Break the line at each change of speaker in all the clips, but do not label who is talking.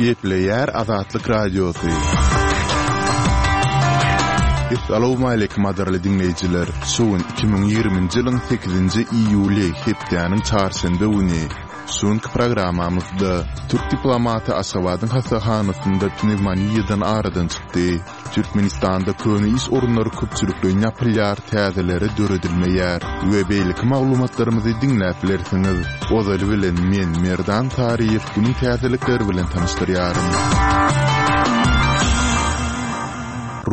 Gepleýär Azatlyk Radiosy. Essalawmaleýkim gadyrly diňleýjiler! Şu gün 2020-nji ýylyň sekizinji iýuly, hepdäniň çarşenbe güni. Şu günki programmamyzda türk diplomaty Aşgabadyň hassahanasynda pnewmoniýadan aradan çykdy. Türkmenistanda köne iş orunlary köpçülikleýin ýapylýar, täzeleri döredilmeýär we beýleki maglumatlarymyzy diňläp bilersiňiz. Ozaly bilen men, Merdan Saryýew günüň täzelikleri bilen tanyşdyrýaryn.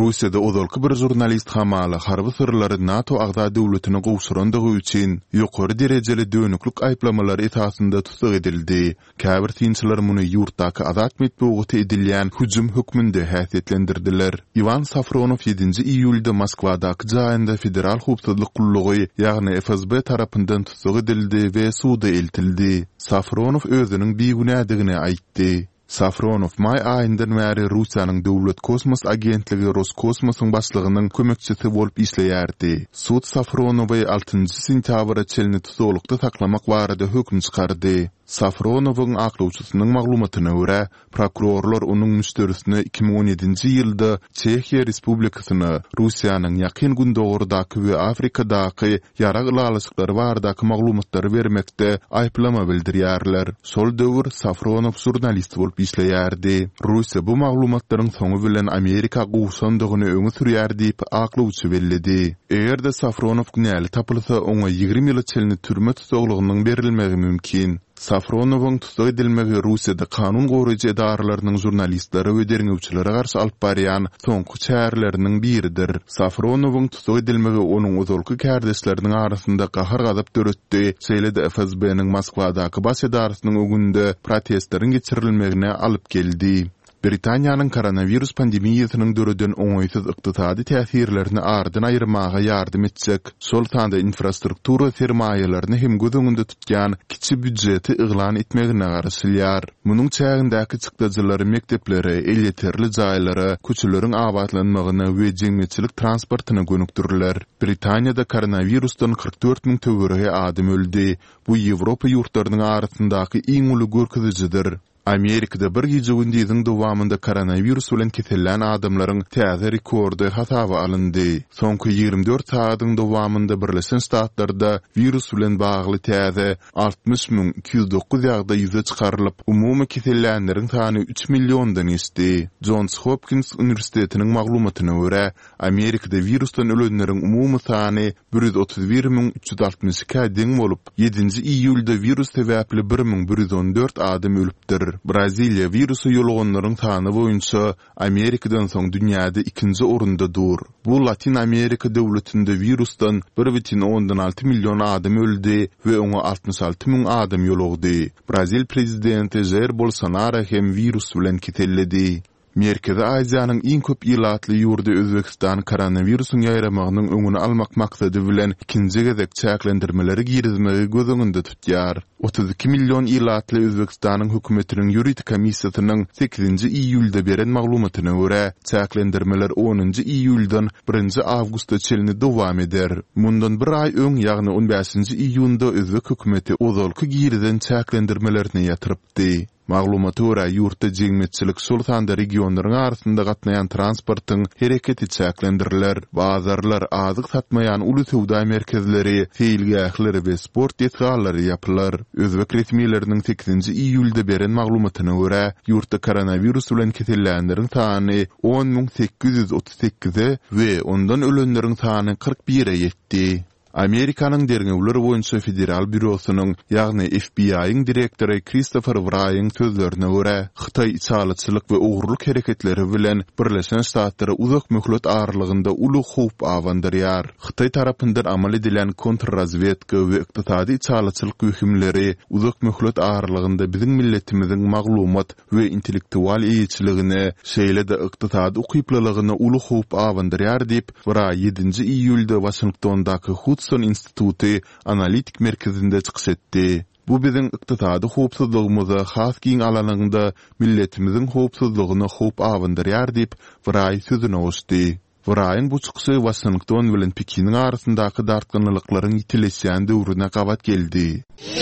Russiýada ozalky bir žurnalist hamala harby syrlary NATO agza döwletine gowşurandygy üçin ýokary derejeli dönüklik aýyplamalary esasynda tussag edildi. Käbir synçylar muny ýurtdaky azat metbugata edilýän hüjüm hökmünde häsiýetlendirdiler. Iwan Safronow ýedinji iýulda Moskwadaky jaýynda Federal howpsuzlyk gullugy, ýagny FSB tarapyndan tussag edildi we suda eltildi. Safronow özüniň bigünädigini aýtdy. Safronow maý aýyndan bäri Russiýanyň döwlet kosmos agentligi Roskosmosyň başlygynyň kömekçisi bolup işleýärdi. Sud Safronowy altynjy sentýabra çenli tussaglykda saklamak barada höküm çykardy. Safronowyň aklawçysynyň maglumatyna görä, prokurorlar onuň müşderisine 2017-nji ýylda Çehiýa Respublikasyna Russiýanyň Ýakyn Gündogardaky we Afrikadaky ýarag ylalaşyklary baradaky maglumatlary bermekde aýyplama bildirýärler. Şol döwür Safronow žurnalist bolup işleýärdi. Russiýa bu maglumatlaryň soňy bilen Amerika gowşandygyny öňe sürýär diýip, aklawçy belledi. Eger-de Safronow günäli tapylsa, oňa 20 ýyla çenli türme tussaglygynyň berilmegi mümkin. Safronowyň tussag edilmegi Russiýada kanun goraýjy edaralarynyň žurnalistlere we derňewçilere garşy alyp barýan soňky çäreleriniň biridir. Safronowyň tussag edilmegi onuň ozalky kärdeşleriniň arasynda gahar-gazap döretdi, şeýle-de FSB-niň Moskwadaky baş edarasynyň öňünde protestleriň geçirilmegine alyp geldi. Britaniýanyň koronawirus pandemiýasynyň döreden oňaýsyz ykdysady täsirlerini aradan aýyrmaga ýardam etjek, şol sanda infrastruktura sermaýalaryny hem göz öňünde tutýan kiçi býujeti yglan etmegine garaşylýar. Munuň çägindäki çykdajylar mekdeplere, elýeterli jaýlara, köçeleriň abatlanmagyna we jemgyýetçilik transportyna gönükdiriler. Britaniýada koronawirusdan 44 müň töweregi adam öldi. Bu Ýewropa ýurtlarynyň arasyndaky iň uly görkezijidir. Amerikada bir gije-gündiziň dowamynda koronawirus bilen kesellän adamlaryň täze rekordy hasaba alyndy. Soňky 24 sagadyň dowamynda Birleşen Ştatlarda wirus bilen bagly täze 60 209 ýagdaý ýüze çykarylyp, umumy kesellänleriň sany üç milliondan geçdi. Jons Hopkins uniwersitetiniň maglumatyna görä, Amerikada wirusdan ölenleriň umumy sany 131 362-ä deň bolup, ýedinji iýulda wirus sebäpli 1114 adam ölüpdir. Braziliýa wirusa ýoluganlaryň sany boýunça Amerikadan soň dünýäde ikinji orunda dur. Bu Latyn Amerika döwletinde wirusdan 1,6 million adam öldi we oňa 66 müň adam ýolugdy. Brazil prezidenti Žair Bolsonaro hem wirus bilen keselledi. Merkezi Aziýanyň iň köp ilatly ýurdy Özbegistan koronawirusyň ýaýramagynyň öňüni almak maksady bilen ikinji gezek çäklendirmeleri girizmegi göz öňünde tutýar. 32 million ilatly Özbegistanyň hökümetiniň ýörite komissiýasynyň sekizinji iýulda beren maglumatyna görä, çäklendirmeler onunjy iýuldan birinji awgusta çenli dowam eder. Mundan bir aý öň, ýagny on bäşinji iýunda özbek hökümeti ozalky girizen çäklendirmelerini ýatyrypdy. Maglumata görä, ýurtda jemgyýetçilik, şol sanda regionlaryň arasynda gatnaýan transportyň hereketi çäklendiriler. Bazarlar, azyk satmaýan uly söwda merkezleri, seýilgähler we sport desgalary ýapylar. Özbek resmileriniň sekizinji iýulda beren maglumatyna görä, ýurtda koronawirus bilen kesellänleriň sany 10 838-e we ondan ölenleriň sany 41-e ýetdi. Amerikanyň Derňewler boýunça federal býurosynyň, ýagny FBI-iň direktory Kristofer Wraýyň sözlerine görä, Hytaý içalyçylyk we ogurlyk hereketleri bilen Birleşen Ştatlara uzak möhlet aralygynda uly howp abandyrýar. Hytaý tarapyndan amal edilýän kontrrazwedka we ykdysady içalyçylyk wehimleri uzak möhlet aralygynda biziň milletimiziň maglumat we intellektual eýeçiligine, şeýle-de ykdysady ukyplylygyna uly howp abandyrýar diýip, Wraý ýedinji iýulda Waşingtondaky Hudson instituty analitik merkezinde çykyş etdi. Bu biziň ykdysady howpsuzlygymyza, has giň alanyňda, milletimiziň howpsuzlygyna howp abandyrýar diýip, Wraý sözüne goşdy. Wraýyň bu çykyşy Waşington bilen Pekiniň arasyndaky dartgynlylyklaryň ýitileşýän döwrüne gabat geldi.